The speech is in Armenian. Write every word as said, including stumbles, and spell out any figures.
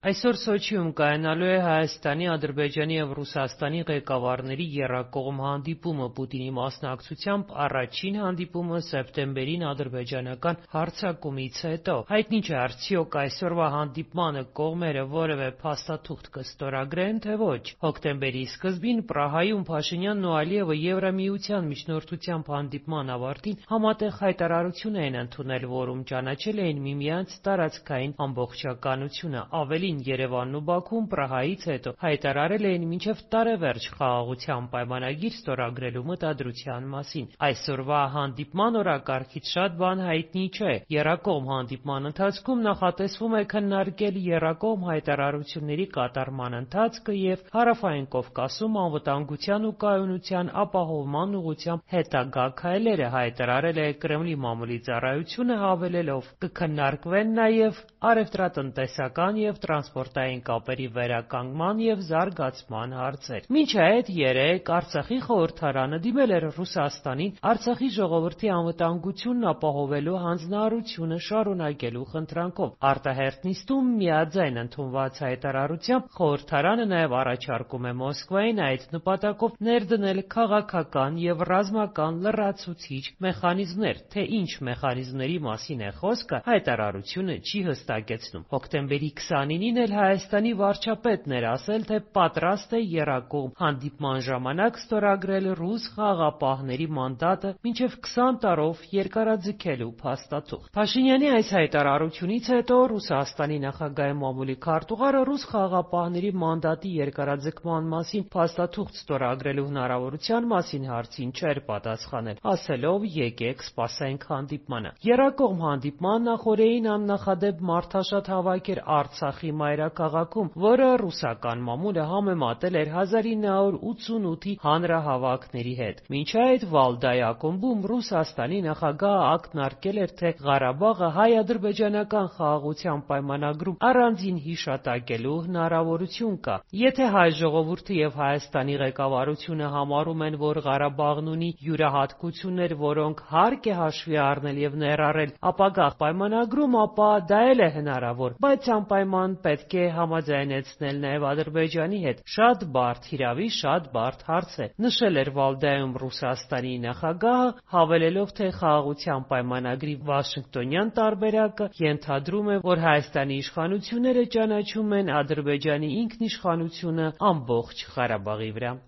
Այսօր Սոչիում կայանալու է Հայաստանի, Ադրբեջանի և Ռուսաստանի ղեկավարների եռակողմ հանդիպումը։ Պուտինի մասնակցությամբ առաջին հանդիպումը սեպտեմբերին ադրբեջանական հարձակումից հետո։ Հայտնի չէ՝ արդյոք այսօրվա հանդիպմանը կողմերը որևէ փաստաթուղթ կստորագրեն, թե ոչ։ Հոկտեմբերի սկզբին Պրահայում Փաշինյանն ու Ալիևը Եվրամիության միջնորդությամբ հանդիպման ավարտին համատեղ հայտարարություն էին ընդունել, որում ճանաչել էին միմյանց տարածքային ամբողջականությունը։ Ավելին, Երևանն ու Բաքուն Պրահայից հետո հայտարարել էին մինչև տարեվերջ խաղաղության պայմանագիր ստորագրելու մտադրության մասին։ Այսօրվա հանդիպման օրակարգից շատ բան հայտնի չէ։ Եռակողմ հանդիպման ընթացքում նախատեսվում է քննարկել եռակողմ հայտարարությունների կատարման ընթացքը և Հարավային Կովկասում անվտանգության ու կայունության ապահովման ուղղությամբ հետագա քայլերը, հայտարարել է Կրեմլի մամուլի ծառայությունը, հավելելով՝ կքննարկվեն նաև առևտրատնտեսական և տրանսպորտային կապերի վերականգնման և զարգացման հարցեր։ Մինչ այդ երեկ Արցախի խորհրդարանը դիմել էր Ռուսաստանին Արցախի ժողովրդի անվտանգությունն ապահովելու հանձնարարությունը շարունակելու խնդրանքով։ Արտահերթ նիստում միաձայն ընդունված հայտարարությամբ խորհրդարանը նաև առաջարկում է Մոսկվային այդ նպատակով ներդնել քաղաքական և ռազմական լրացուցիչ մեխանիզմներ։ Թե ինչ մեխանիզմների մասին է խոսքը, հայտարարությունը չի հստակեցնում։ Հոկտեմբերի քսանինին էլ Հայաստանի վարչապետն էր ասել, թե պատրաստ է եռակողմ հանդիպման ժամանակ ստորագրել ռուս խաղաղապահների մանդատը մինչև քսան տարով երկարաձգելու փաստաթուղթ։ Փաշինյանի այս հայտարարությունից հետո Ռուսաստանի նախագահի մամուլի քարտուղարը ռուս խաղաղապահների մանդատի երկարաձգման մասին փաստաթուղթ ստորագրելու հնարավորության մասին հարցին չէր պատասխանել, ասելով՝ եկեք սպասենք հանդիպմանը։ Եռակողմ հանդիպման նախօրեին աննախադեպ մարդաշատ հավաք էր Արցախի մայրաքաղաքում, որը ռուսական մամուլը համեմատել էր հազար ինը հարյուր ութսունութի հանրահավաքների հետ։ Մինչ այդ Վալդայի ակումբում Ռուսաստանի նախագահը ակնարկել էր, թե Ղարաբաղը հայ-ադրբեջանական խաղաղության պայմանագրում առանձին հիշատակելու հնարավորություն կա։ Եթե հայ ժողովուրդը և Հայաստանի ղեկավարությունը համարում են, որ Ղարաբաղն ունի յուրահատկություններ, որոնք հարկ է հաշվի առնել և ներառել ապագա պայմանագրում, ապա դա էլ է հնարավոր, բայց անպայման պետք է համաձայնեցնել նաև Ադրբեջանի հետ։ Շատ բարդ, հիրավի, շատ բարդ հարց է, նշել էր Վալդայում Ռուսաստանի նախագահը, հավելելով, թե խաղաղության պայմանագրի վաշինգտոնյան տարբերակը ենթադրում է, որ Հայաստանի իշխանությունները ճանաչում են Ադրբեջանի ինքնիշխանությունը ամբողջ Ղարաբաղի վրա։